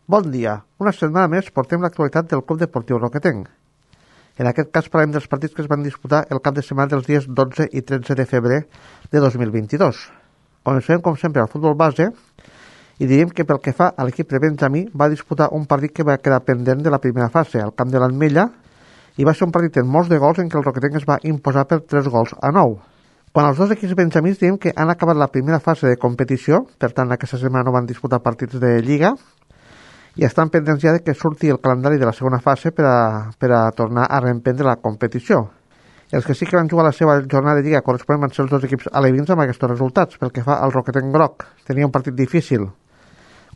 Bon dia. Una setmana més portem l'actualitat del Club Deportiu Roquetenc. En aquest cas parlem dels partits que es van disputar el cap de setmana dels dies 12 i 13 de febrer de 2022. Comencem, com sempre, al futbol base i diríem que pel que fa a l'equip de Benjamí va disputar un partit que va quedar pendent de la primera fase, al camp de l'Ametlla, i va ser un partit amb molts de gols en què el Roquetenc es va imposar per 3-9. Quan els dos equips benjamins diem que han acabat la primera fase de competició, per tant aquesta setmana no van disputar partits de Lliga, i estan pendents ja de que surti el calendari de la segona fase per a tornar a reemprendre la competició. Els que sí que van jugar la seva jornada de Lliga corresponen van ser els dos equips alevins amb aquests resultats. Pel que fa al Roquetenc groc, tenia un partit difícil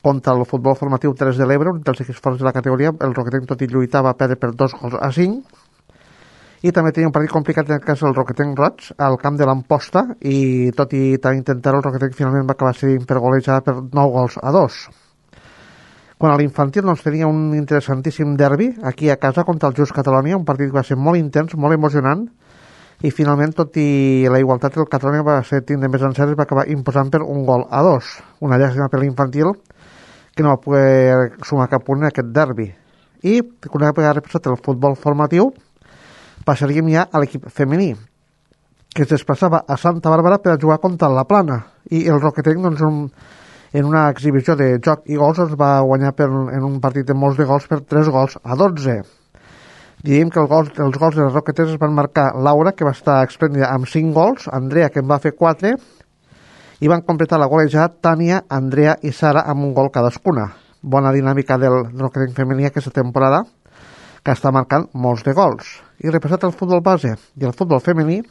contra el futbol formatiu 3 de l'Ebre, un dels equips forts de la categoria. El Roquetenc, tot i lluitar, va perdre per 2-5, i també tenia un partit complicat en el cas del Roquetenc roig al camp de l'Amposta, i tot i també intentar-ho, el Roquetenc finalment va acabar cedint per golejada per 9-2. Quan a l'infantil doncs, tenia un interessantíssim derbi aquí a casa contra el Just Catalonia, un partit que va ser molt intens, molt emocionant, i finalment, tot i la igualtat, el Catalonia va ser tindre més encerts i va acabar imposant per 1-2. Una llàstima per l'infantil, que no va poder sumar cap punt en aquest derbi. I, una vegada repassat el futbol formatiu, passaríem ja a l'equip femení, que es desplaçava a Santa Bàrbara per a jugar contra la Plana, i el Roquetenc, doncs, en una exhibició de joc i gols, es va guanyar en un partit de molts de gols per 3-12. Diríem que els gols de les Roquetes es van marcar Laura, que va estar esplèndida amb 5 gols, Andrea, que en va fer 4, i van completar la golejada Tània, Andrea i Sara amb un gol cadascuna. Bona dinàmica del Roquetenc femení aquesta temporada, que està marcant molts de gols. I repassat el futbol base i el futbol femení,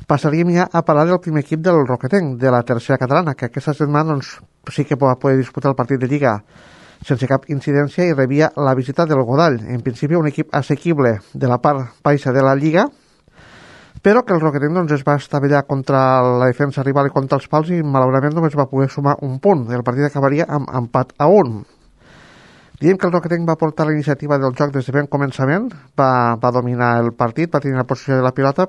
passaríem ja a parlar del primer equip del Roquetenc, de la tercera catalana, que aquesta setmana doncs, sí que va poder disputar el partit de Lliga sense cap incidència i rebia la visita del Godall. En principi un equip assequible de la part baixa de la Lliga, però que el Roquetenc doncs, es va estavellar contra la defensa rival i contra els pals i malauradament només va poder sumar un punt. El partit acabaria amb empat a 1. Diem que el Roquetenc va portar la iniciativa del joc des de ben començament, va dominar el partit, va tenir la posició de la pilota,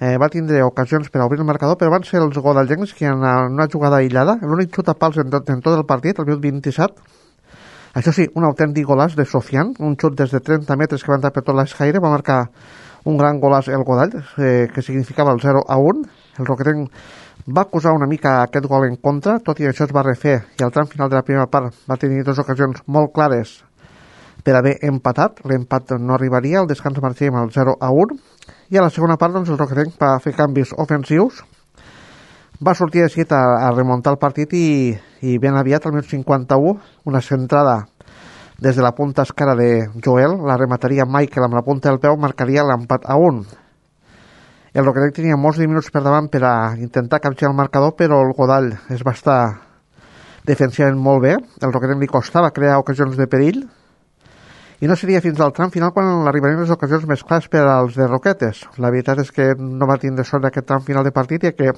va tindre ocasions per a obrir el marcador, però van ser els godallencs que en una jugada aïllada, l'únic xut a pals en tot el partit, el minut 27, això sí, un autèntic golàs de Sofian, un xut des de 30 metres que va entrar per tot l'escaire, va marcar un gran golàs el Godall, que significava el 0-1. El Roquetenc va acusar una mica aquest gol en contra, tot i això es va refer, i al tram final de la primera part va tenir dues ocasions molt clares per haver empatat. L'empat no arribaria, el descans marxaria amb el 0-1, i a la segona part doncs, el Roquetenc va fer canvis ofensius, va sortir de seguit a remuntar el partit i ben aviat, al minut 51, una centrada des de la punta esquerra de Joel, la remataria Michael amb la punta del peu, marcaria l'empat a 1. El Roquetenc tenia molts de minuts per davant per a intentar capgirar el marcador, però el Godall es va estar defensivament molt bé, el Roquetenc li costava crear ocasions de perill, i no seria fins al tram final quan arribarien les ocasions més clares per als de Roquetes. La veritat és que no va tindre sort d'aquest tram final de partit, i que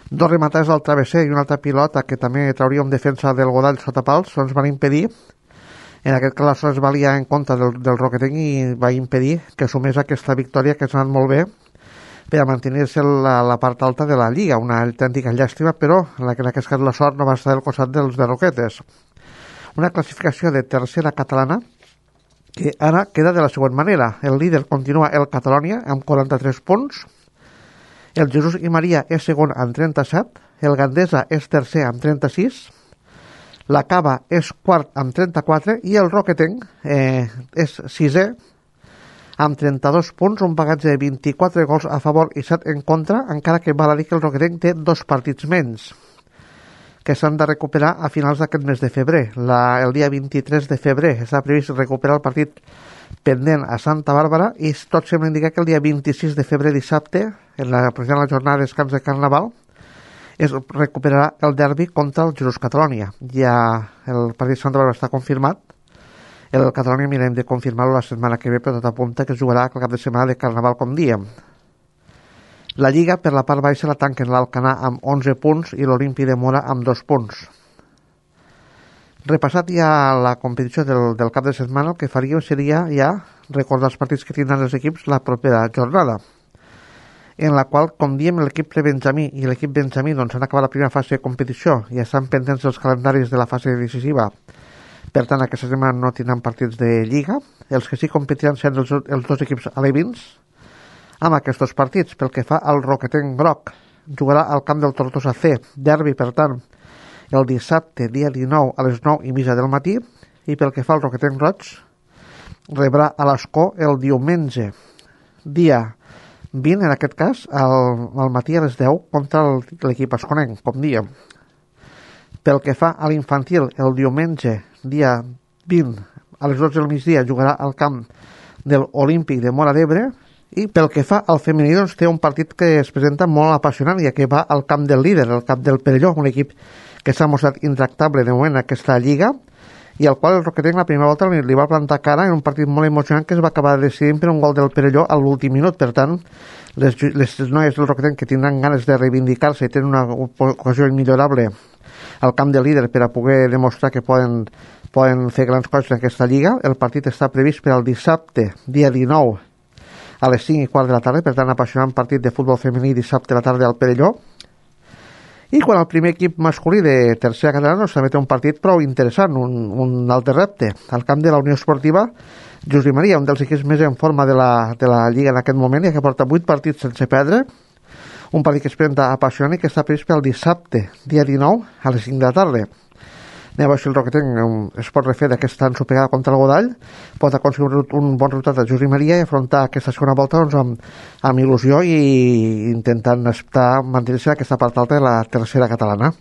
dos rematades al travesser i una altra pilota que també trauria un defensa del Godall sota pals doncs van impedir, en aquest cas la sort es valia en contra del Roquetenc i va impedir que sumés aquesta victòria que s'ha anat molt bé per a mantenir-se la part alta de la Lliga, una autèntica llàstima, però en aquest cas la sort no va estar del costat dels de Roquetes. Una classificació de tercera catalana que ara queda de la següent manera. El líder continua el Catalonia amb 43 punts, el Jesús i Maria és segon amb 37, el Gandesa és tercer amb 36, la Cava és quart amb 34 i el Roquetenc és sisè amb 32 punts, un bagatge de 24 gols a favor i 7 en contra, encara que val a dir que el Roquetenc té 2 partits menys que s'han de recuperar a finals d'aquest mes de febrer. El dia 23 de febrer està previst recuperar el partit pendent a Santa Bàrbara i tot sembla indicar que el dia 26 de febrer, dissabte, en la jornada de descans de Carnaval, es recuperarà el derbi contra el Jesús Catalonia. Ja el partit de Santa Bàrbara està confirmat. El Catalonia mirem de confirmar-lo la setmana que ve, però tot apunta que es jugarà el cap de setmana de Carnaval, com diem. La Lliga, per la part baixa, la tanquen l'Alcanar amb 11 punts i l'Olímpic de Mora amb 2 punts. Repassat ja la competició del cap de setmana, el que faríem seria ja recordar els partits que tindran els equips la propera jornada, en la qual, com diem, l'equip Benjamí i l'equip Benjamí doncs, han acabat la primera fase de competició i estan pendents dels calendaris de la fase decisiva Per tant, aquesta setmana no tindran partits de Lliga. Els que sí competiran seran els dos equips alevins amb aquests dos partits. Pel que fa al Roquetenc groc, jugarà al camp del Tortosa C, derbi, per tant, el dissabte, dia 19, a les 9:30 del matí, i pel que fa al Roquetenc roig, rebrà a l'Escó el diumenge, dia 20, en aquest cas, al matí a les 10, contra l'equip esconenc, com diem. Pel que fa a l'infantil, el diumenge, dia 20, a les 12 del migdia, jugarà al camp del Olímpic de Móra d'Ebre, i pel que fa al femení, doncs, té un partit que es presenta molt apassionant, ja que va al camp del líder, el camp del Perelló, un equip que s'ha mostrat intractable de moment en aquesta lliga, i al qual el Roquetenc la primera volta li va plantar cara en un partit molt emocionant que es va acabar decidint per un gol del Perelló a l'últim minut. Per tant, les noies del Roquetenc que tindran ganes de reivindicar-se i tenen una ocasió immillorable al camp del líder per a poder demostrar que poden fer grans coses en aquesta lliga. El partit està previst per al dissabte, dia 19, a les 5:15 de la tarda, per tant, apassionant partit de futbol femení dissabte a la tarda al Perelló. I quan el primer equip masculí de tercera catalana també té un partit prou interessant, un altre repte, al camp de la Unió Esportiva Josep Maria, un dels equips més en forma de la Lliga en aquest moment, i que porta 8 partits sense perdre, un partit que es presenta apassionant i que està previst pel dissabte, dia 19, a les 5 de la tarda. Anem a veure si el Roquetenc es pot refer d'aquesta ensopegada contra el Godall, pot aconseguir un bon resultat a Josep Maria i afrontar aquesta segona volta doncs, amb il·lusió i intentant mantenir-se en aquesta part alta de la tercera catalana.